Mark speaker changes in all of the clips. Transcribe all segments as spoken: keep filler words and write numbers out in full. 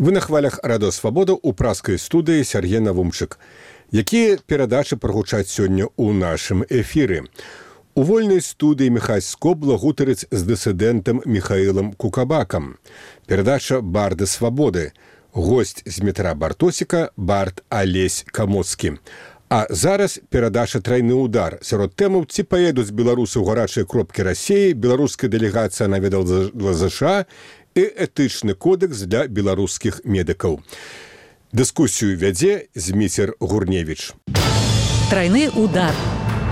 Speaker 1: Вы на хвалях Радыё Свабода ў праскай студыі Сяргей Навумчык. Якія перадачы прагучаць сёння ў нашым эфіры? У вольнай студыі Міхась Скобла гутарыць з дысідэнтам Міхаілам Кукабакам. Перадача «Барды свабоды». Госць з метра Бартосіка бард Алесь Камоцкі. А зараз перадача «Трайны удар». Сярод тэмаў ці паедуць беларусы ў гарачыя кропкі Расіі, беларуская дэлегацыя наведала ЗША і этычны кодэкс для беларускіх медыкаў. Дыскусію вядзе Зміцер Гурневіч.
Speaker 2: Трайны удар.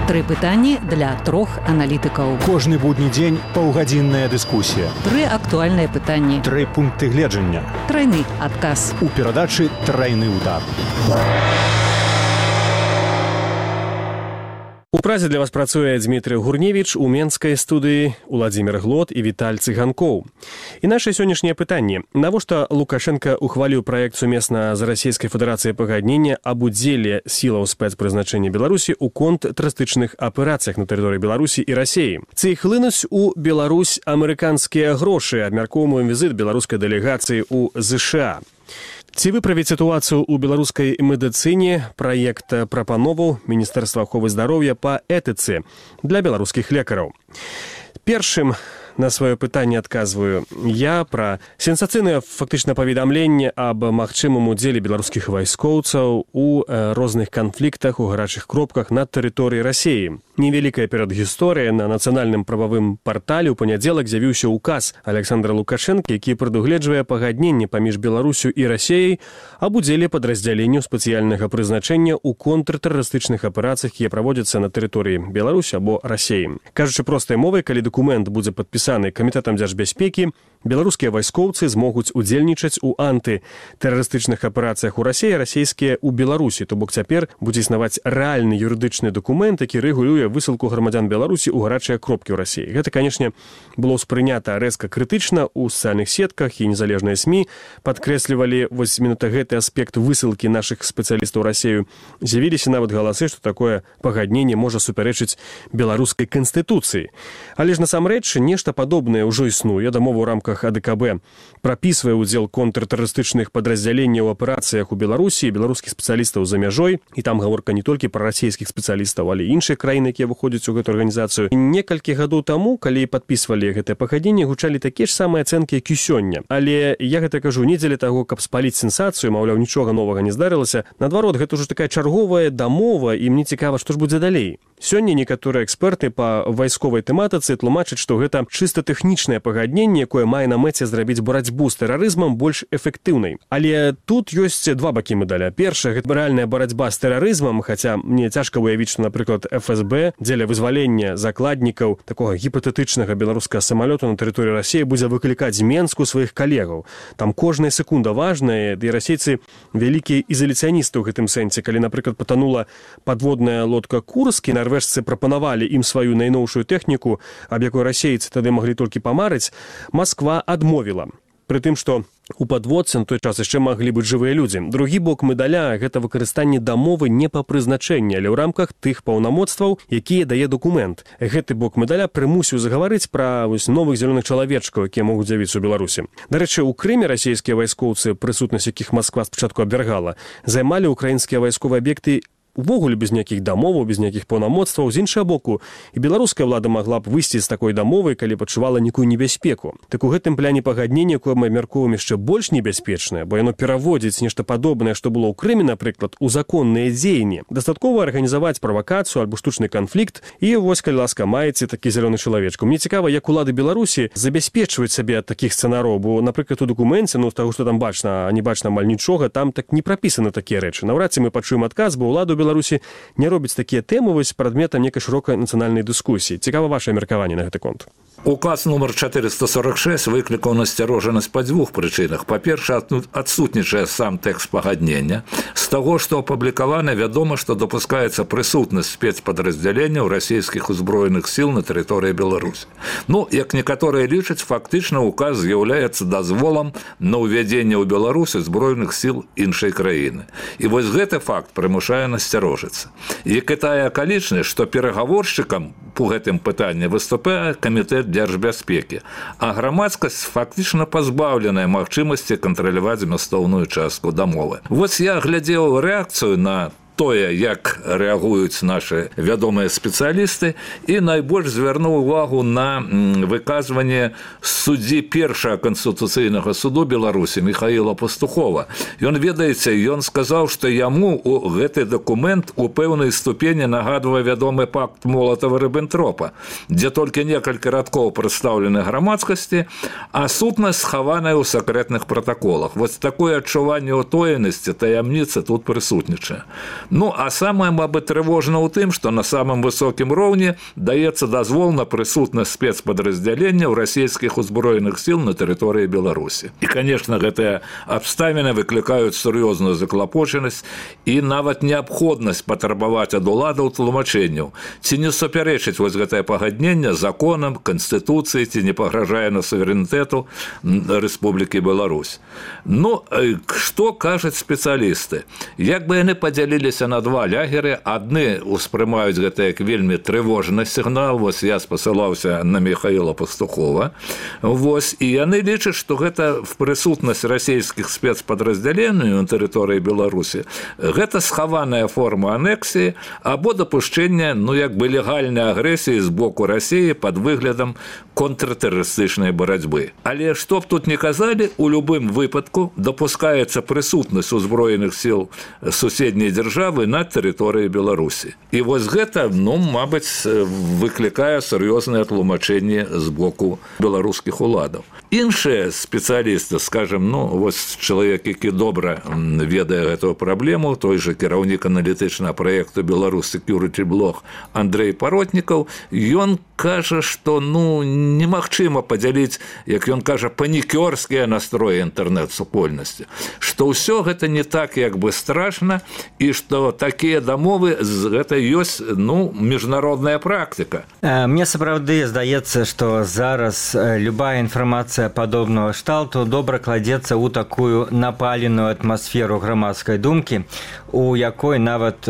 Speaker 2: Тры пытанні для трох аналітыкаў.
Speaker 3: Кожны будні дзень паўгадзінная дыскусія.
Speaker 2: Тры актуальныя пытанні.
Speaker 3: Тры пункты гледжання.
Speaker 2: Трайны адказ.
Speaker 3: У перадачы «Трайны удар».
Speaker 4: У празе для вас працуе Дмітрый Гурневіч, у менскай студыі Уладзімір Глот і Віталь Цыганкоў. І наша сённяшняе пытанне. Навошта Лукашенко ухваліў праект сумесна з Расійскай Федэрацыяй пагаднення аб удзеле сілаў спецпрызначэння Беларусі ў контртэрарыстычных аперацыях на тэрыторыі Беларусі і Расіі? Ці хлынуць у Беларусь амерыканскія грошы? Абмяркоўваем візіт беларускай дэлегацыі ў ЗША. Ці выправіць сітуацыю ў беларускай медыцыне праект прапановаў Міністэрства аховы здароўя па этыцы для беларускіх лекараў? Першым на сваё пытанне адказваю я пра сенсацыйнае фактычна паведамленне аб магчымым удзеле беларускіх вайскоўцаў у розных канфліктах у гарачых кропках на тэрыторыі Расіі. Невялікая перадгісторыя. На нацыянальным прававым партале ў панядзелак з'явіўся указ Александра Лукашенка, які прадугледжвае пагадненне паміж Беларусю і Расіяй аб удзеле падраздзяленняў спецыяльнага прызначэння ў контртэрарыстычных аперацыях, якія праводзяцца на тэрыторыі Беларусі або Расіі. Кажучы простай мовай, калі дакумент будзе падпісаны Камітэтам дзяржбяспекі, беларускія вайскоўцы змогуць удзельнічаць у антытэрарыстычных аперацыях у Расіі, расійскія ў Беларусі. То бок цяпер будзе існаваць рэальны юрыдычны дакумент, які рэгулюе высылку грамадзян Беларусі ў гарачыя кропкі ў Расіі. Гэта, канешне, было ўспрынята рэзка крытычна ў сацыяльных сетках, і незалежныя СМІ падкрэслівалі вось менавіта гэты аспект высылкі нашых спецыялістаў ў Расію. З'явіліся нават галасы, што такое пагадненне можа супярэчыць беларускай канстытуцыі. Але ж насамрэч нешта падобнае ўжо існуе. Дамова ў рамках АДКБ прапісвае ўдзел контртэрарыстычных падраздзяленняў у аперацыях у Беларусі, беларускіх спецыялістаў за мяжой, і там гаворка не толькі пра расійскіх спецыялістаў, але і іншыя краіны, якія выходзяць у гэту арганізацыю. Некалькі гадоў таму, калі падпісвалі гэтае пагадненне, гучалі такія ж самыя ацэнкі, як і сёння. Але я гэта кажу не дзеля таго, каб спаліць сенсацыю, маўляў, нічога новага не здарылася. Наадварот, гэта ўжо такая чарговая дамова, і мне цікава, што ж будзе далей. Сёння некаторыя эксперты па вайсковай тэматыцы тлумачаць, што гэта чыста тэхнічнае пагадненне, якое мае на мэце зрабіць барацьбу з тэрарызмам больш эфектыўнай. Але тут ёсць два бакі медаля. Першая, гэта рэальная барацьба з тэрарызмам, хаця мне цяжка выявіць, што, напрыклад, эф эс бэ дзеля вызвалення закладнікаў такога гіпатэтычнага беларускага самалёту на тэрыторыі Расіі будзе выклікаць з Менску сваіх калегаў. Там кожная секунда важная, і расейцы вялікія ізаляцыяністы ў гэтым сэнсе. Калі, напрыклад, патанула падводная лодка «Курск», і нарвежцы прапанавалі ім сваю найноўшую тэхніку, аб якой расейцы тады маглі толькі памарыць, Масква адмовіла. Пры тым, што у падводцы на той час яшчэ маглі быць жывыя людзі. Другі бок медаля – гэта выкарыстанне дамовы не па прызначэнні, але ў рамках тых паўнамоцтваў, якія дае дакумент. Гэты бок медаля прымусіў загаварыць пра вось, новых зялёных чалавечкаў, якія могуць з'явіцца ў Беларусі. Дарэчы, у Крыме расійскія вайскоўцы, прысутнасць якіх Масква спачатку абвяргала, займалі ўкраінскія вайсковыя аб'екты увогуле без ніякіх дамоваў, без ніякіх паўнамоцтваў. З іншага боку, і беларуская ўлада магла б выйсці з такой дамовай, калі пачувала нейкую небяспеку. Так у гэтым пляне пагаднення, якое мы абмяркоўваем, яшчэ больш небяспечнае, бо яно пераводзіць нешта падобнае, што было ў Крыме, напрыклад, у законныя дзеянні. Дастаткова арганізаваць правакацыю альбо штучны канфлікт, і вось, калі ласка, маеце такі зялёны чалавечку. Мне цікава, як улады Беларусі забяспечваюць сабе ад такіх сцэнараў, бо, напрыклад, у дакуменце, ну, з таго, што там бачна, а не бачна амаль нічога, там так не прапісаны такія рэчы. Наўрад ці мы пачуем адказ, бо ўлада Беларусі не робіць такія тэмы вось прадметам некай шырокай нацыянальнай дыскусіі. Цікава вашае меркаванне на гэты конт.
Speaker 5: Указ номер чатырыста сорок шэсць выклікаў насцярожанасць па дзвюх прычынах. Па-першае, адсутнічае сам тэкст пагаднення. З таго, што апублікавана, вядома, што дапускаецца прысутнасць спецпадраздзяленняў расійскіх узброеных сіл на тэрыторыі Беларусі. Ну, як некаторыя лічаць, фактычна указ з'яўляецца дазволам на ўвядзенне ў Беларусі зброеных сіл іншай краіны. І вось гэты факт прымушае насцярожыцца. Як і тая акалічнасць, што перагаворшчыкам по гэтым пытанні выступае камітэт дзяржбяспекі, а грамадскасць фактычна пазбаўленая магчымасці кантраляваць змястоўную частку дамовы. Вось я глядзеў рэакцыю на тое, як рэагуюць нашы вядомыя спецыялісты, і найбольш звярнуў увагу на выказванне суддзі першага канстытуцыйнага суду Беларусі Михаіла Пастухова. Ён, ведаеце, ён сказаў, што яму гэты дакумент у пэўнай ступені нагадвае вядомы пакт Молатава-Рыббентропа, дзе толькі некалькі радкоў прадстаўлены грамадскасці, а сутнасць схаваная ў сакрэтных пратаколах. Вось такое адчуванне утоенасці, таямніцы тут прысутнічае. Ну, а самае, мабыць, трывожна ў тым, што на самым высокім роўні даецца дазвол на прысутнасць спецпадраздзялення ў расійскіх узброеных сіл на тэрыторыі Беларусі. І, канешне, гэтыя абставіны выклікаюць сур'ёзную заклапочанасць і нават неабходнасць патрабаваць ад уладаў тлумачэнняў, ці не супярэчыць вось гэтае пагадненне законам, канстытуцыі, ці не пагражае на суверэнітэту Рэспублікі Беларусь. Ну, што кажуць спецыялісты? Як бы яны падзяліліся на два лягеры, адны ўспрымаюць гэта як вельмі трывожны сігнал, вось я спасылаўся на Михаіла Пастухова, вось, і яны лічаць, што гэта в прысутнасць расійскіх спецпадраздзяленняў на тэрыторыі Беларусі, гэта схаваная форма анексіі або дапушчэння, ну, як бы легальнай агрэсіі з боку Расіі пад выглядам контртэрарыстычнай барацьбы. Але што б тут не казалі, у любым выпадку дапускаецца прысутнасць узброеных сіл суседняй дзяржавы на тэрыторыі Беларусі. І вось гэта, ну, мабыць, выклікае сур'ёзныя тлумачэнні з боку беларускіх уладаў. Іншыя спецыялісты, скажем, ну, вось чалавек, які добра ведае гэтую праблему, той жа кіраўнік аналітычнага праекту «Беларусь Security Blog» Андрей Паротнікаў, ён кажа, што, ну, немагчыма падзяліць, як ён кажа, панікёрскія настроі інтэрнэт-супольнасці, што ўсё гэта не так, як бы страшна, і што такія дамовы, гэта ёсць, ну, міжнародная практыка.
Speaker 6: Мне сапраўды здаецца, што зараз любая інфармацыя падобнага шталту добра кладзецца ў такую напаленую атмасферу грамадскай думкі, у якой нават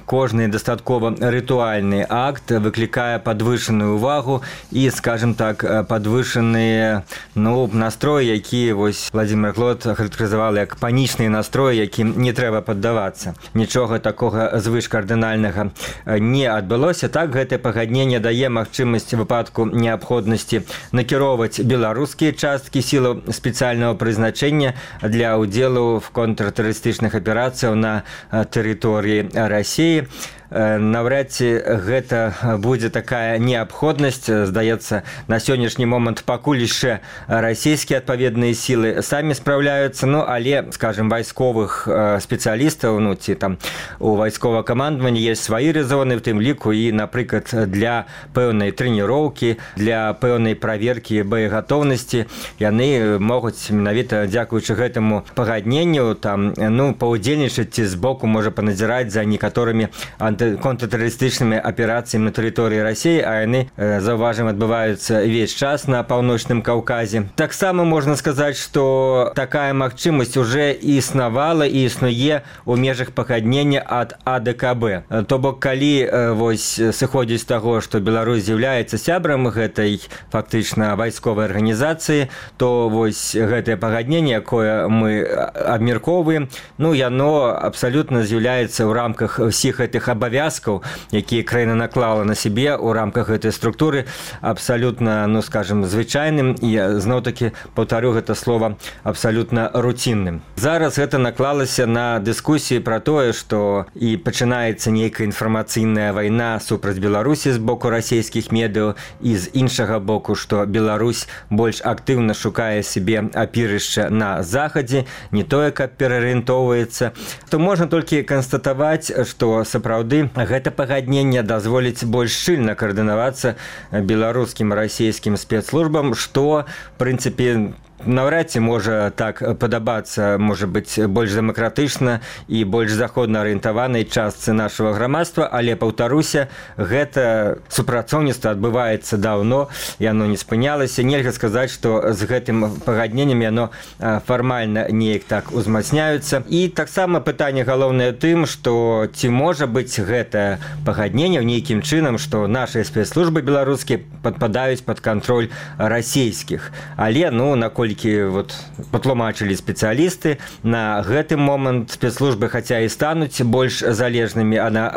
Speaker 6: кожны дастаткова рытуальны акт выклікае падвышаную увагу і, скажем так, падвышаныя, ну, настроі, які вось Владимир Глот характарызаваў як панічныя настроі, якім не трэба паддавацца. Нічога такога звышкардынальнага не адбылося. Так, гэтае пагадненне дае магчымасць выпадку неабходнасці накіроўваць беларускія часткі сілаў спецыяльнага прызначэння для ўдзелу в контртэрарыстычных аперацыях на тэрыторыі Расіі. Наўрад ці гэта будзе такая неабходнасць. Здаецца, на сённяшні момант пакуль яшчэ расійскія адпаведныя сілы самі спраўляюцца, ну, але, скажем, вайсковых спецыялістаў, ну, ці там у вайсковага камандавання ёсць свае рэзоны, в тым ліку і, напрыклад, для пэўнай трэніроўкі, для пэўнай праверкі боегатоўнасці яны могуць менавіта дзякуючы гэтаму пагадненню там, ну, паўдзельнічаць ці збоку можа паназіраць за некаторымі анты контртэрарыстычнымі аперацыямі на тэрыторыі Расіі, а яны, заўважым, адбываюцца ўвесь час на паўночным Каўказе. Таксама можна сказаць, што такая магчымасць уже існавала і існуе ў межах пагаднення ад А Дэ Ка Бэ. То бок, калі вось сыходзіць з таго, што Беларусь з'яўляецца сябрам гэтай фактычна вайсковай арганізацыі, то вось гэтае пагадненне, якое мы абмяркоўваем, ну, яно абсалютна з'яўляецца ў рамках ўсіх гэтых абавязкаў, якія краіна наклала на сябе ў рамках гэтай структуры, абсалютна, ну, скажем, звычайным і, зноў-такі, паўтарю гэта слова, абсалютна руцінным. Зараз гэта наклалася на дыскусіі пра тое, што і пачынаецца нейкая інфармацыйная вайна супраць Беларусі з боку расійскіх медыяў і з іншага боку, што Беларусь больш актыўна шукае сябе апірышча на захадзе, не тое, каб пераарыентоўваецца. То можна толькі канстатаваць, што сапраўды гэта пагадненне дазволіць больш шчыльна каардынавацца беларускім расійскім спецслужбам, што, в прынцыпе, наўрад ці можа так падабацца, можа быць, больш дэмакратычна і больш заходна арыентаванай частцы нашага грамадства, але, паўтаруся, гэта супрацоўніцтва адбываецца даўно, яно не спынялася. Нельга сказаць, што з гэтым пагадненнем яно фармальна неяк так узмацняюцца. І таксама пытанне галоўнае тым, што ці можа быць гэта пагадненне нейкім чынам, што нашыя спецслужбы беларускія падпадаюць пад кантроль расійскіх. Але, ну, наколькі вот патлумачылі спецыялісты, на гэты момант спецслужбы хаця і стануць больш залежнымі адна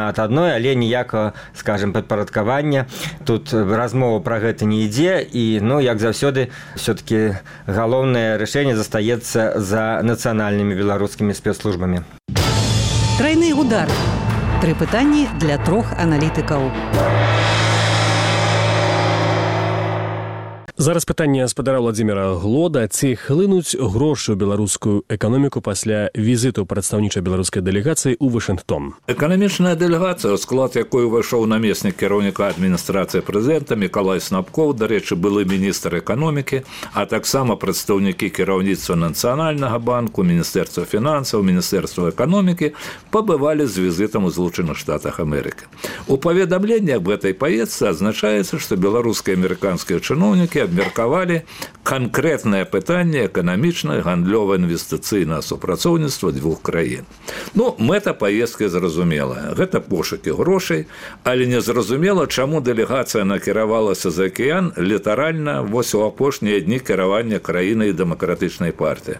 Speaker 6: ад адной, але ніякага, скажем, падпарадкавання. Тут размова пра гэта не ідзе, і, ну, як заўсёды, все-таки галоўнае рашэнне застаецца за нацыянальнымі беларускімі спецслужбамі.
Speaker 2: Трайны удар. Тры пытанні для трох аналітыкаў.
Speaker 4: Зараз пытанне спадара Владзіміра Глода. Ці хлынуць грошы ў беларускую эканоміку пасля візіту прадстаўнічай беларускай дэлегацыі ў Вашынгтон?
Speaker 5: Эканамічная дэлегацыя, у склад якой увайшоў намеснік кіраўніка адміністрацыі прэзідэнта Мікалай Снапкоў, дарэчы, былы міністр эканомікі, а таксама прадстаўнікі кіраўніцтва Нацыянальнага банку, Міністэрства фінансаў, Міністэрства эканомікі пабывалі з візітам у Злучаных Штатах Амерыкі. У паведамленні аб гэтай паездцы адзначаецца, што беларускія і амерыканскія чыноўнікі абмеркавалі канкрэтнае пытанне эканамічнае, гандлёвае, інвестыцыйнае супрацоўніцтва двух краін. Ну, мэта паездкі зразумелая. Гэта пошукі грошай, але незразумела, чаму дэлегацыя накіравалася за акіян літаральна вось у апошнія дні кіравання краінай дэмакратычнай партыі.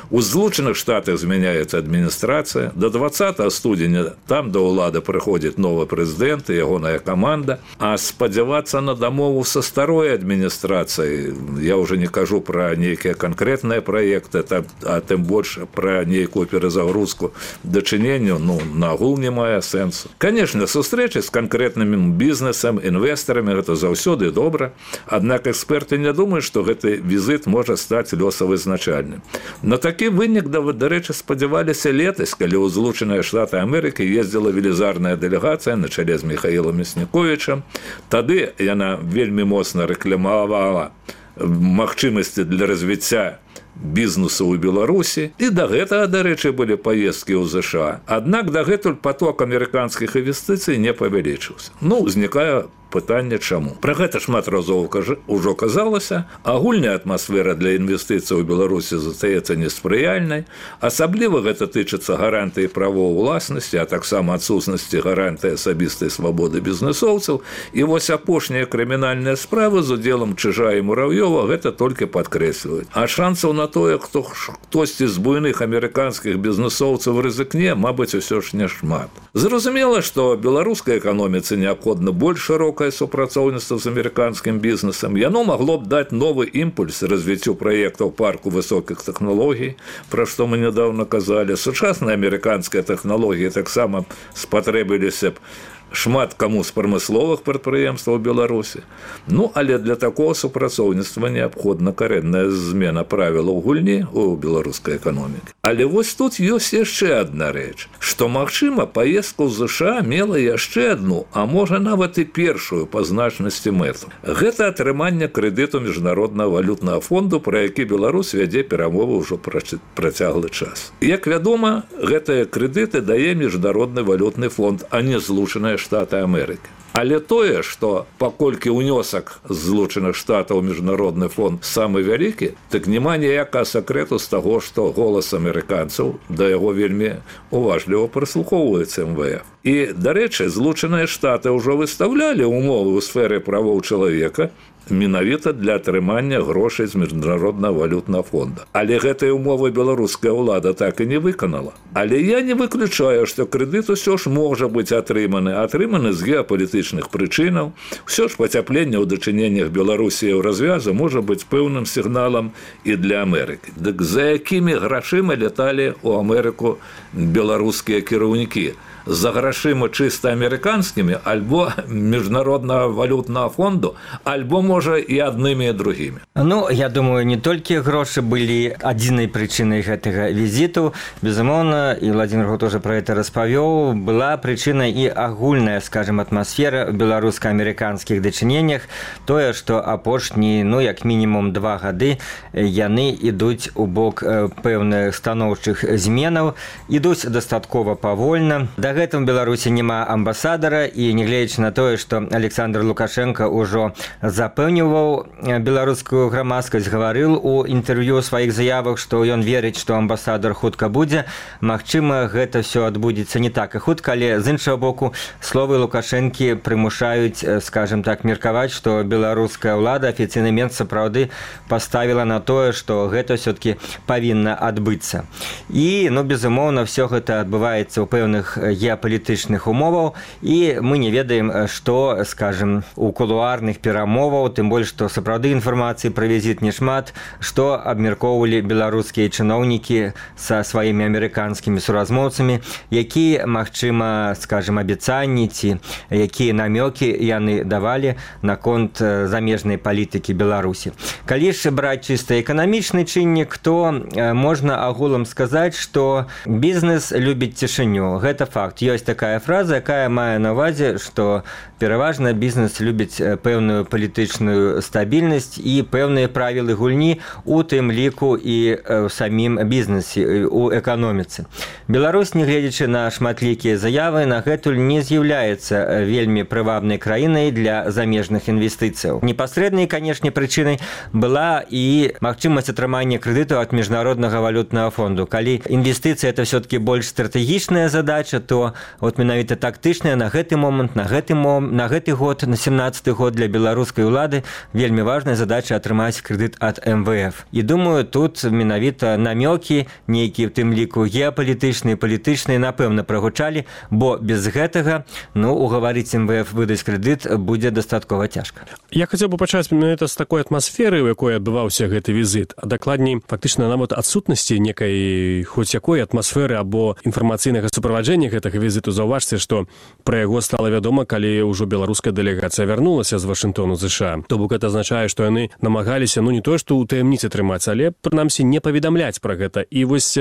Speaker 5: У Злучаных Штатах змяняецца адміністрацыя. До двадцатага студзеня там да ўлады прыходзіць новы прэзідэнт і ягоная каманда, а спадзявацца на дамову са старой адміністрацыяй, я уже не кажу про нейкія канкрэтныя праекты, а тым больш про нейкую перазагрузку дачыненню, ну, нагул не мае сэнсу. Конечно, сустрэчы з канкрэтным бізнесам, інвестарамі, гэта заўсёды добра, аднак эксперты не думаюць, што гэты візіт можа стаць лёсавызначальным. На такі вынік, дарэчы, спадзяваліся летась, калі ў Злучаныя Штаты Амерыкі ездзіла велізарная дэлегацыя на чале з Міхаілам Мясніковічам. Тады яна вельмі моцна рэкламавала магчымасці для развіцця бізнесу ў Беларусі, і да гэтага, дарэчы, былі паездкі ў ЗША. Аднак дагэтуль поток амерыканскіх інвестыцый не павялічыўся. Ну, узнікае пытанне чаму. Пра гэта шмат разоў ужо казалася. Агульная атмасфера для інвестыцый у Беларусі застаецца неспрыяльнай. Асабліва гэта тычыцца гарантыі правоў уласнасці, а таксама адсутнасці гарантыі асабістай свабоды бізнесоўцаў. І вось апошнія крымінальныя справы з удзелам Чыжа і Мурав'ёва гэта толькі падкрэсліваюць. А шансаў на тое, хто хтосьці з буйных амерыканскіх бізнесоўцаў рызыкне, мабыць, усё ж няшмат. Зразумела, што беларускай эканоміцы неабходна больш шырокае супрацоўніцтва з амерыканскім бізнесам. Яно магло б даць новы імпульс развіццю праектаў парку высокіх тэхналогій, пра што мы нядаўна казалі. Сучасныя амерыканскія тэхналогіі таксама спатрэбіліся б шмат каму з прамысловых прадпрыемстваў Беларусі. Ну, але для такого супрацоўніцтва неабходна карэнная змена правілаў гульні ў беларускай эканомікі. Але вось тут ёсць яшчэ адна рэч, што, магчыма, паездка ў ЗША мела яшчэ адну, а можа нават і першую па значнасці мэту. Гэта атрыманне крэдыту Міжнароднага валютнага фонду, пра які Беларусь вядзе перамовы ўжо працяглы час. Як вядома, гэтыя крэдыты дае Міжнародны валютны фонд, а не Злучаныя Штаты Амерыкі. Але тое, што паколькі ўнёсак з Злучаных Штатаў Міжнародны фонд самы вялікі, так няма ніякага сакрэту з таго, што голас амерыканцаў да яго вельмі уважліва прыслухоўваецца эм вэ эф. І, дарэчы, Злучаныя Штаты ўжо выстаўлялі ўмовы ў сферы правоў чалавека менавіта для атрымання грошай з Міжнароднага валютнага фонда. Але гэтыя ўмовы беларуская ўлада так і не выканала. Але я не выключаю, што крэдыт усё ж можа быць атрыманы, атрыманы з геапалітычных прычынаў. Усё ж пацяпленне ў дачыненнях Беларусі ў развязу можа быць пэўным сігналам і для Амерыкі. Дык за якімі грашыма ляталі ў Амерыку беларускія кіраўнікі? за грашыма чыста амерыканскімі, альбо міжнароднага валютнага фонду, альбо, можа, і аднымі і другімі.
Speaker 6: Ну, я думаю, не толькі грошы былі адзінай прычынай гэтага візіту. Безумоўна, і Владимир Год уже пра гэта распавёў, была прычына і агульная, скажем, атмасфера ў беларуска-амерыканскіх дачыненнях. Тое, што апошні, ну, як мінімум два гады яны ідуць у бок пэўных станоўчых зменаў, ідуць дастаткова павольна. Дагэтуль у Беларусі няма амбасадара, і нягледзячы на тое, што Александр Лукашенко ўжо запэўніваў беларускую грамадскасць, гаварыў у інтэрв'ю сваіх заявах, што ён верыць, што амбасадар хутка будзе. Магчыма, гэта ўсё адбудзецца не так і хутка, але з іншага боку словы Лукашэнкі прымушаюць, скажем так, меркаваць, што беларуская ўлада, афіцыйны мент сапраўды паставіла на тое, што гэта ўсё-такі павінна адбыцца. І, ну, безумоўна, все гэта адбываецца ў пэўных геапалітычных умоваў, і мы не ведаем, што, скажем, у кулуарных перамоваў, тым больш, што сапраўды інфармацыі пра візіт не шмат, што абмяркоўвалі беларускія чыноўнікі са сваімі амерыканскімі суразмоўцамі, якія, магчыма, скажем, абяцанні ці якія намёкі яны давалі наконт замежнай палітыкі Беларусі. Калі ж браць чыста эканамічны чыннік, то можна агулам сказаць, што бізнес любіць цішыню. Гэта факт. Ёсць такая фраза, якая мае на ўвазе, што пераважна бізнес любіць пэўную палітычную стабільнасць і пэўныя правілы гульні, у тым ліку і ў самім бізнесе, у эканоміцы. Беларусь, нягледзячы на шматлікія заявы, нагэтуль не з'яўляецца вельмі прывабнай краінай для замежных інвестыцыяў. Непасрэднай, канешне, прычынай была і магчымасць атрымання крэдытаў ад міжнароднага валютнага фонду. Калі інвестыцыя это все-таки больш стратэгічная задача, то вот менавіта тактычная на гэты момант, на гэты момант, на гэты год, на семнадцаты год для беларускай улады вельмі важная задача атрымаць крэдыт ад эм вэ эф. І думаю, тут менавіта намёкі, нейкія в тым ліку геапалітычныя, палітычныя, напэўна, прагучалі, бо без гэтага, ну, угаварыць эм вэ эф выдаць крэдыт будзе дастаткова цяжка.
Speaker 4: Я хацеў бы пачаць менавіта з такой атмасферы, у якой адбываўся гэты візіт, а дакладней, фактычна нават адсутнасці некай хоць якой атмасферы або інфармацыйнага суправаджэння гэтага візіту. Заўважце, што пра яго стала вядома, калі ўжо беларуская дэлегацыя вярнулася з Вашынгтону, ЗША. То бок гэта азначае, што яны намагаліся, ну, не тое, што ў таямніцы трымаць, але, прынамсі, не паведамляць пра гэта. І вось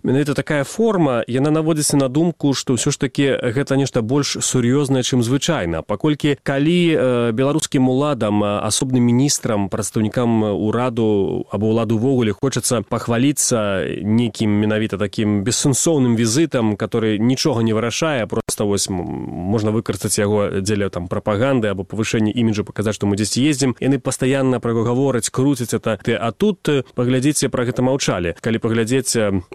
Speaker 4: менавіта такая форма, яна наводзіцца на думку, што ўсё ж такі гэта нешта больш сур'ёзнае, чым звычайна. Паколькі калі э, беларускім уладам, асобным міністрам, прадстаўнікам ураду або ўладу ўвогуле хочацца пахваліцца нейкім менавіта такім бессэнсоўным візітам, который нічога не вырашае, просто вось можна выкарыстаць яго дзеля там прапаганды або павышэння іміджу, паказаць, што мы дзесьці ездзім. Яны пастаянна пра яго гавораць, круцяць это. А тут паглядзіце, пра гэта маўчалі. Калі паглядзець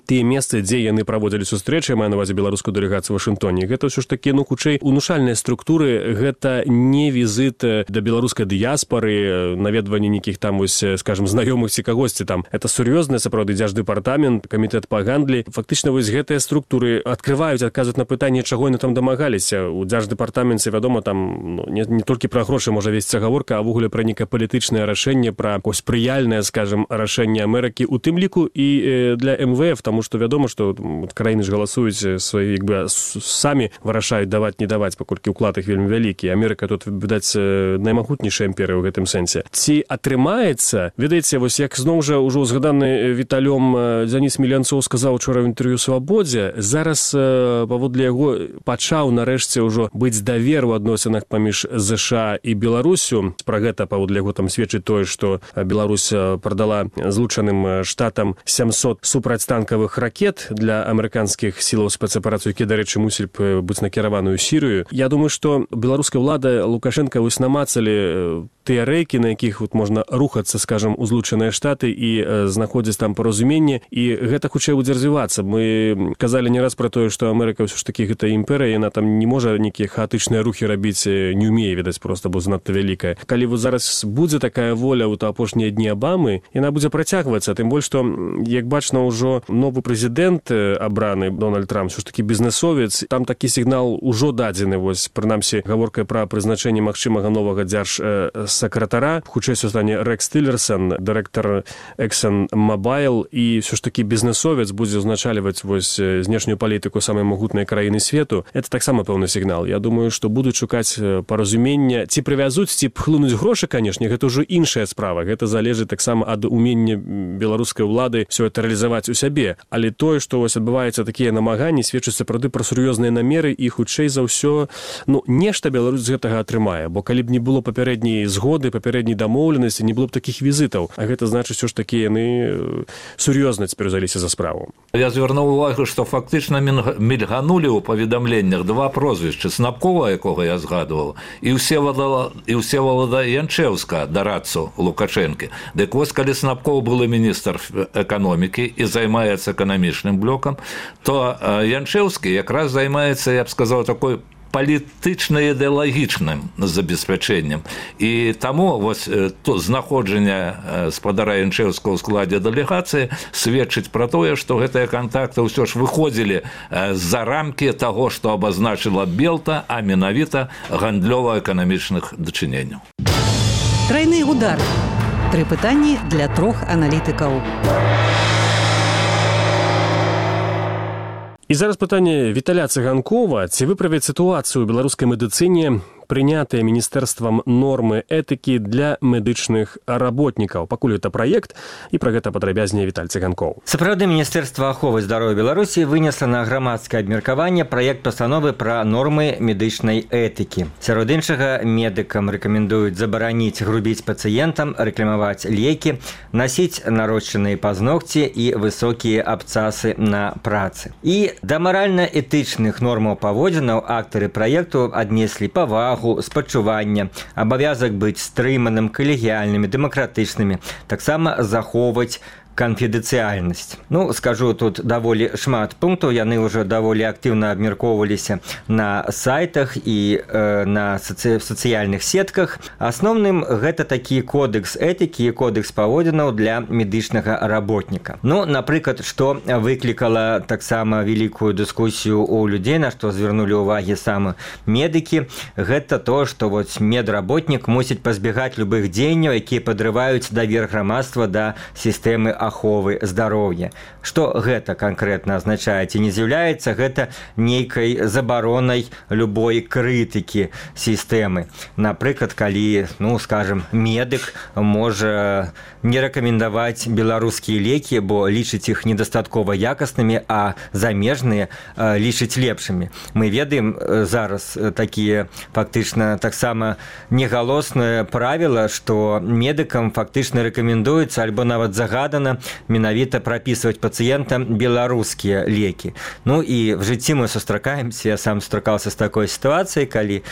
Speaker 4: тыя месцы, дзе яны праводзілі сустрэчы, маю на ўвазе беларускую дэлегацыю ў Вашынгтоне, гэта ўсё ж такі, ну, хутчэй унушальныя структуры, гэта не візіт да беларускай дыяспары, наведванне нейкіх там, вось, скажем, знаёмых ці кагосьці там. Это сур'ёзны, сапраўды, дзярждэпартамент, камітэт па гандлі. Фактычна, вось гэтыя структуры адкрываюць, адказваюць на пытанне, чаго яны там дамагаліся. У дзярждэпартаменце, вядома, там, ну, не, не толькі пра грошы можа весціся гаворка, а ввогуле пра нейкае палітычнае рашэнне, пра ось прыяльнае, скажем, рашэнне Амерыкі, у тым ліку і э, для эм вэ эф, таму што вядома, што краіны ж галасуюць свае, як бы, самі вырашаюць даваць, не даваць, паколькі ўклад іх вельмі вялікі. Амерыка тут, відаць, наймагутнейшая імперыя ў гэтым сэнсе. Ці атрымаецца, ведаеце, вось як зноў жа ўжо згаданы Віталём Дзяніс Міленцоў сказаў учора ў інтэрв'ю «Свабодзе», зараз э, паводле яго пачаў нарэшце ўжо быць давер у адносінах паміж ЗША і Беларусю. Пра гэта паводле яго там сведчыць тое, што Беларусь прадала Злучаным Штатам сямсот супрацьтанкавых ракет для амерыканскіх сілаў спецаперацыі, якія, дарэчы, мусілі б быць накіраваны ў Сірыю. Я думаю, што беларуская ўлада, Лукашенка вось намацалі тыя рэйкі, на якіх вот можна рухацца, скажем, у Злучаныя Штаты і э, знаходзіць там паразуменне, і гэта хутчэй будзе развівацца. Мы казалі не раз пра тое, што Амерыка ўсё ж такі гэта імперыя, яна там не можа нейкія хаатычныя рухі рабіць, не ўмее, відаць, проста, бо занадта вялікая. Калі вот зараз будзе такая воля ў апошнія дні Абамы, яна будзе працягвацца, тым больш, што, як бачна, ўжо новы прэзідэнт абраны, Дональд Трамп, ўсё ж такі бізнесовец, там такі сігнал ужо дадзены, вось, прынамсі, гаворка пра прызначэнне магчымага новага дзярж сакратара. Хутчэй стане Рекс Тиллерсон, дырэктар ExxonMobil, і все ж таки бізнесовец будзе ўзначальваць вось знешнюю палітыку самай магутнай краіны свету. Это таксама пэўны сігнал. Я думаю, што будуць шукаць паразумення, ці прывязуць, ці пхлынуць грошы, канешне, гэта ўжо іншая справа. Гэта залежыць таксама ад умення беларускай улады все это рэалізаваць у сябе. Але тое, што вось адбываюцца такія намаганні, сведчыць сапраўды пра сур'ёзныя намеры, і хутчэй за ўсё, ну, нешта Беларусь з гэтага атрымае, бо калі б не было папярэдняй згоды, папярэдняй дамоўленасці, не было б такіх візітаў. А гэта значыць, що ж такі яны сур'ёзна цяпер узяліся за справу.
Speaker 5: Я звярнуў увагу, што фактычна мільганулі ў паведамленнях два прозвішчы: Снапкова, якога я згадваў, і Всеволода Янчэўска, дарадцу Лукашэнкі. Дык вось, калі Снапков былы міністр эканомікі і займаецца эканамічным блокам, то Янчэўскі якраз займаецца, я б сказаў, такой палітычна-ідэалагічным забеспячэннем. І таму вось то знаходжанне спадара Янчэўскага ў складзе дэлегацыі сведчыць пра тое, што гэтыя кантакты ўсё ж выходзілі з-за рамкі таго, што абазначыла Белта, а менавіта гандлёва-эканамічных дачыненняў.
Speaker 2: Трайны удар. Тры пытанні для трох аналітыкаў.
Speaker 4: І зараз пытанне Віталя Цыганкова. Ці выправіць сітуацыю ў беларускай медыцыне прынятыя міністэрствам нормы этыкі для медычных работнікаў? Пакуль гэта праект, і пра гэта падрабязней Віталь Цыганкоў.
Speaker 6: Сапраўды, Міністэрства аховы здароўя Беларусі вынесла на грамадскае абмеркаванне праект пастановы пра нормы медычнай этыкі. Сярод іншага, медыкам рэкамендуюць забараніць грубіць пацыентам, рэкламаваць лекі, насіць нарошчаныя пазногці і высокія абцасы на працы. І да маральна-этычных нормаў паводзінаў актары праекту аднеслі павагу, спачування, абавязак быць стрыманым, калегіяльнымі, дэмакратычнымі, таксама захоўваць канфідэнцыяльнасць. Ну, скажу, тут даволі шмат пунктаў, яны ўжо даволі актыўна абмяркоўваліся на сайтах і э, на соци... сацыяльных сетках. Асноўным гэта такі кодекс этыкі і кодекс паводзінаў для медычнага работніка. Ну, напрыклад, што выклікала таксама вялікую дыскусію у людзей, на што звярнулі ўвагі самі медыкі, гэта то, што вот медработнік мусіць пазбегаць любых дзеянняў, якія падрываюць давер грамадства да сістэмы аховы здароўя. Што гэта канкрэтна азначае? Ці не з'яўляецца гэта нейкай забаронай любой крытыкі сістэмы? Напрыклад, калі, ну, скажем, медык можа не рэкамендаваць беларускія лекі, бо лічыць іх недастаткова якаснымі, а замежныя лічыць лепшымі. Мы ведаем зараз такія фактычна таксама негалоснае правіла, што медыкам фактычна рэкамендуецца альбо нават загадана менавіта прапісваць пацыентам беларускія лекі. Ну і в жыцці мы сустракаемся, я сам сустракаўся з такой сітуацыяй, калі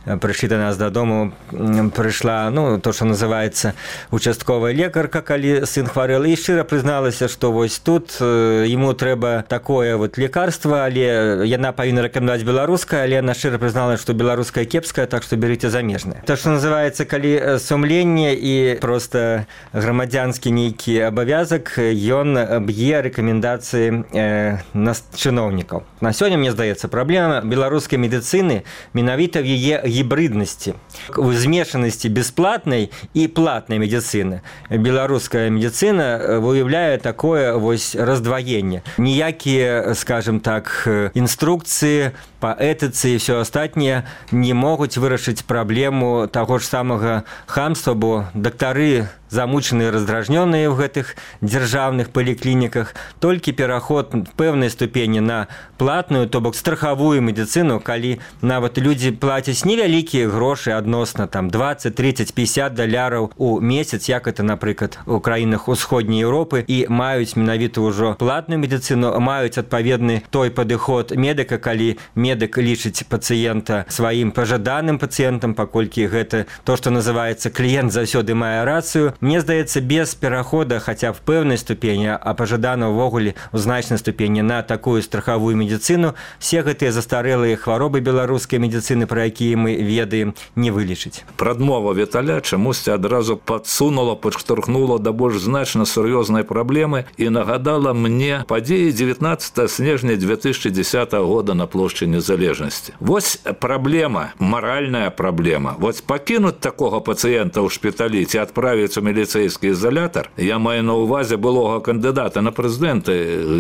Speaker 6: прыйшлі да нас дадому, прыйшла, ну, то, што называецца участковая лекарка, калі сын хварэл, і шчыра прызналася, што вось тут яму трэба такое вот лекарства, але яна павінна рэкамендаваць беларускае, але яна шчыра прызналася, што беларускае кепскае, так што берыце замежнае. То, што называецца, калі сумленне і проста грамадзянскі нейкі абавязак, ён б'е рэкамендацыі э, на чыноўнікаў. На сёння, мне здаецца, праблема беларускай медыцыны менавіта в яе гібрыднасці, у змешанасці бясплатнай і платнай медыцыны. Беларуская медыцына выяўляе такое вось раздваенне. Ніякія, скажем так, інструкцыі па этыцы і ўсё астатняе не могуць вырашыць праблему таго ж самага хамства, бо дактары замучаныя, раздражнёныя ў гэтых дзяржаўных паліклініках. Толькі пераход пэўнай ступені на платную, то бок страхавую медыцыну, калі нават людзі плацяць невялікія грошы адносна там двадцать, тридцать, пятьдесят даляраў у месяц, як это, напрыклад, у краінах усходняй Еўропы, і маюць менавіта ўжо платную медыцыну, маюць адпаведны той падыход медыка, калі медык лічыць пацыента сваім пажаданым пацыентам, паколькі гэта то, што называецца кліент заўсёды мае рацыю. Мне здаецца, без перахода хаця б пэўнай ступені, а пажадана ўвогуле ў значнай ступені на такую страхавую медыцыну, все гэтыя застарэлыя хваробы беларускай медыцыны, пра якія мы ведаем, не вылечыць.
Speaker 5: Прадмова Віталя чамусьці адразу падсунула, падштурхнула да больш значна сур'ёзнай праблемы і нагадала мне падзеі дзевятнаццатага снежня две тысячи десятого года на плошчы Незалежнасці. Вось праблема, маральная праблема. Вось пакінуць такога пацыента ў шпіталі ці адправіць у міліцэйскі ізалятар, я маю на ўвазе былога кандыдата на прэзідэнты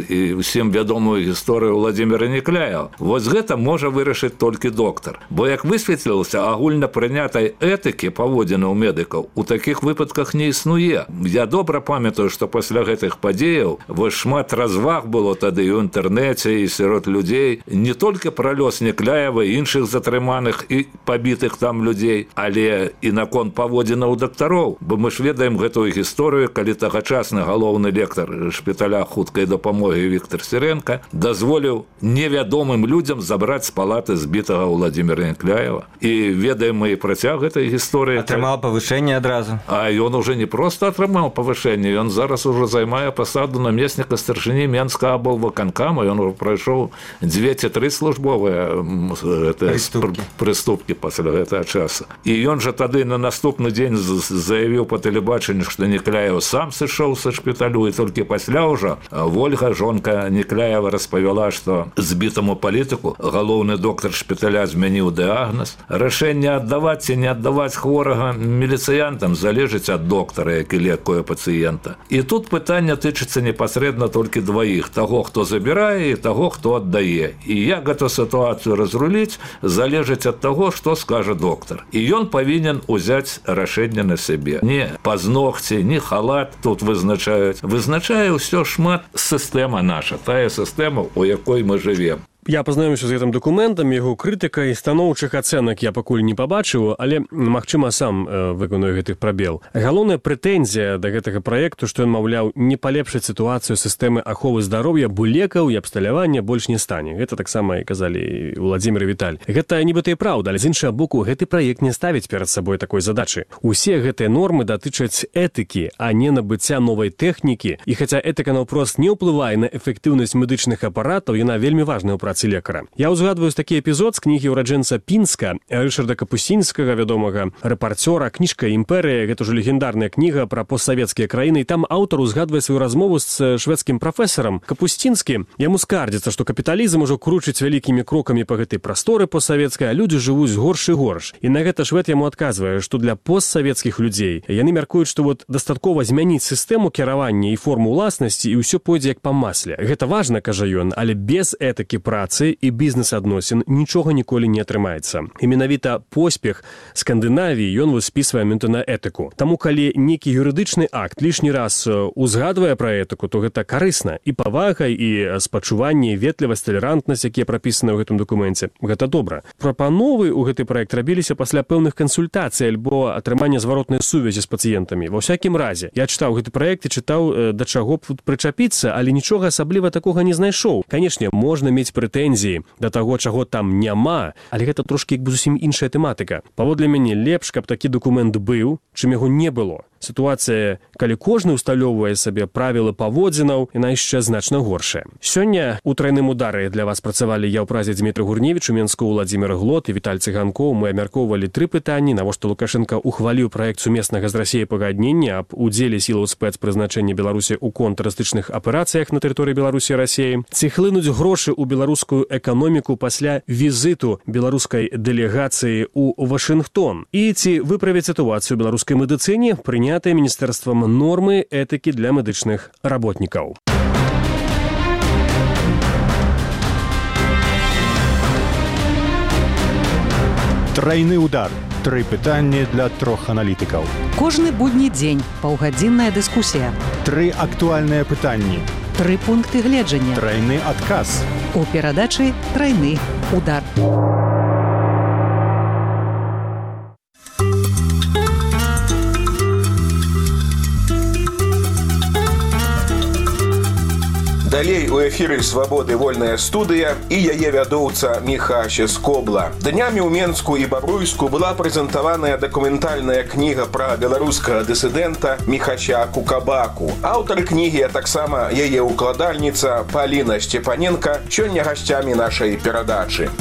Speaker 5: і ўсім вядомую гісторыю Владзіміра Некляева. Вось гэта можа вырашыць толькі доктар. Бо як высветлілася, агульна прынятай этыкі паводзіны ў медыкаў у такіх выпадках не існуе. Я добра памятаю, што пасля гэтых падзеяў вось шмат разваг было тады і ў інтэрнэце, і сярод людзей, не толькі пра лёс Некляева і іншых затрыманых і пабітых там людзей, але і наконт паводзінаў дактароў. Бо мы ж ведаем гэтую гісторыю, калі тагачасны галоўны лектар шпіталя хуткай дапамогі Віктор Сіренка дазволіў невядомым людзям забраць з палаты збітага Владзіміра Некляева. І ведаем мы і працяг гэтай гісторыі.
Speaker 6: Атрымаў павышэнне адразу.
Speaker 5: А ён уже не проста атрымаў павышэнне, ён зараз ужо займае пасаду намесніка старшыні Менскага аблвыканкама, ён ужо прайшоў дзве ці тры службовыя
Speaker 6: прыступкі.
Speaker 5: прыступкі пасля гэтага часу. І ён жа тады на наступны дзень заявіў па тэлебачанню, што Некляев сам сышоў са шпіталю, і толькі пасля ўжо Вольга, жонка Некляева, распавяла, што збітаму палітыку галоўны доктар шпіталя змяніў дыягназ. Рашэнне аддаваць ці не аддаваць хворага міліцыянтам залежыць ад доктара, які лекуе пацыента. І тут пытанне тычыцца непасрэдна толькі дваіх: таго, хто забірае, і таго, хто аддае. І як гэту сітуацыю разруліць, залежыць ад таго, што скажа доктар. І ён павінен узяць рашэнне на сябе. Не пазногці, не халат тут вызначаюць. Вызначае ўсё шмат сістэма наша, тая сістэма, у якой мы жывем.
Speaker 4: Я пазнаёмся з гэтым дакументам, яго крытыкай, станоўчых ацэнак я пакуль не пабачыў, але, магчыма, сам э, выканую гэты прабел. Галоўная прэтэнзія да гэтага праекту, што ён, маўляў, не палепшыць сітуацыю сістэмы аховы здароўя, бо лекаў і абсталявання больш не стане. Гэта таксама і казалі Владзімір і Віталь. Гэта нібыта і праўда, але з іншага боку, гэты праект не ставіць перад сабой такой задачы. Усе гэтыя нормы датычаць этыкі, а не набыцця новай тэхнікі. І хаця этыка наўпрост не ўплывае на эфектыўнасць медычных апаратаў, яна вельмі важная ў працы лекара. Я ўзгадваю такі эпізод з кнігі ўраджэнца Пінска, Рышарда Капусцінскага, вядомага рэпарцёра, кніжка «Імперыя», гэта ўжо легендарная кніга пра постсавецкія краіны, і там аўтар узгадвае сваю размову з шведскім прафесарам. Капусцінскі яму скардзіцца, што капіталізм ужо кручыць вялікімі крокамі па гэтай прасторы постсавецкай, а людзі жывуць горш і горш. І на гэта швед яму адказвае, што для постсавецкіх людзей яны мяркуюць, што вот дастаткова змяніць сістэму кіравання і форму ўласнасці, і ўсё пойдзе як па масле. Гэта важна, кажа ён, але без этыкі працы і бізнес-адносін нічога ніколі не атрымаецца. І менавіта поспех Скандынавіі ён выспісвае менавіта на этыку. Таму, калі нейкі юрыдычны акт лішні раз узгадвае пра этыку, то гэта карысна. І павага, і спачуванне, і ветлівасць, талерантнасць, якія прапісаны ў гэтым дакуменце. Гэта добра. Прапановы ў гэты праект рабіліся пасля пэўных кансультацый альбо атрымання зваротнай сувязі з пацыентамі. Ва ўсякім разе, я чытаў гэты праект і чытаў, да чаго б тут прычапіцца, але нічога асабліва такога не знайшоў. Канешне, можна мець прэтэнзіі да таго, чаго там няма, але гэта трошкі як бы зусім іншая тэматыка. Паводле мяне, лепш, каб такі дакумент быў, чым яго не было. Сітуацыя, калі кожны ўсталёўвае сабе правілы паводзінаў, яна яшчэ значна горшая. Сёння у трайным удары для вас працавалі я ў празе Дмітрий Гурневіч, у Менску Владзімір Глот і Віталь Цыганкоў. Мы абмяркоўвалі тры пытанні: навошта Лукашенка ухваліў праект сумеснага з Расіяй пагаднення аб удзеле сілаў спецпрызначэння Беларусі ў контртэрарыстычных аперацыях на тэрыторыі Беларусі і Расіі, ці хлынуць грошы ў беларускую эканоміку пасля візіту беларускай дэлегацыі ў Вашынгтон, і ці выправіць сітуацыю ў беларускай медыцыне прынятыя міністэрствам нормы этыкі для медычных работнікаў.
Speaker 3: Трайны удар. Тры пытанні для трох аналітыкаў.
Speaker 2: Кожны будні дзень паўгадзінная дыскусія.
Speaker 3: Тры актуальныя пытанні.
Speaker 2: Тры пункты гледжання.
Speaker 3: Трайны адказ.
Speaker 2: У перадачы «Трайны удар».
Speaker 7: Далей у эфіры «Свабоды вольная студыя» і яе вядоўца Міхася Скобла. Днямі ў Менску і Бабруйску была прэзентаваная дакументальная кніга пра беларускага дысідэнта Міхася Кукабаку. Аўтар кнігі, а таксама яе укладальніца Паліна Сцепаненка сёння гасцямі нашай перадачы.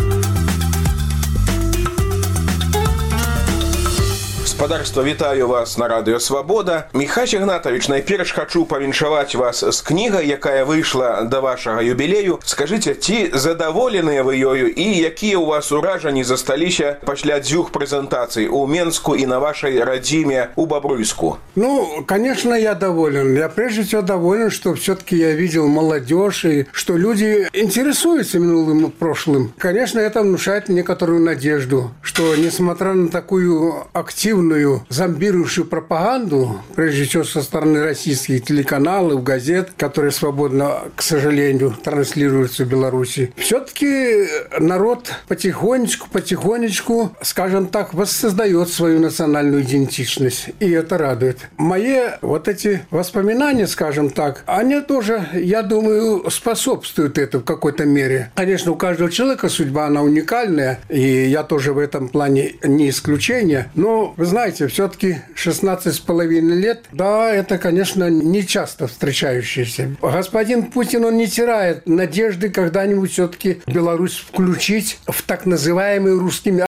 Speaker 7: Гаспадарства, вітаю вас на радыё «Свабода». Міхась Ігнатавіч, найперш хачу павіншаваць вас з кнігай, якая выйшла да вашага юбілею. Скажыце, ці задаволеныя вы ёю і якія ў вас уражанні засталіся пасля дзвюх прэзентацый у Менску и на вашей родиме у Бобруйску?
Speaker 8: Ну, конечно, я доволен. Я прежде всего доволен, что все-таки я видел молодежь и что люди интересуются минулым и прошлым. Конечно, это внушает некоторую надежду, что несмотря на такую активную зомбирующую пропаганду, прежде всего со стороны российских телеканалов, газет, которые свободно, к сожалению, транслируются в Беларуси, все-таки народ потихонечку, потихонечку, скажем так, воссоздает свою национальную идентичность. И это радует. Мои вот эти воспоминания, скажем так, они тоже, я думаю, способствуют этому в какой-то мере. Конечно, у каждого человека судьба, она уникальная, и я тоже в этом плане не исключение. Но, вы знаете, все-таки шестнадцать с половиной лет, да, это, конечно, не часто встречающееся. Господин Путин, он не теряет надежды когда-нибудь все-таки Беларусь включить в так называемый русский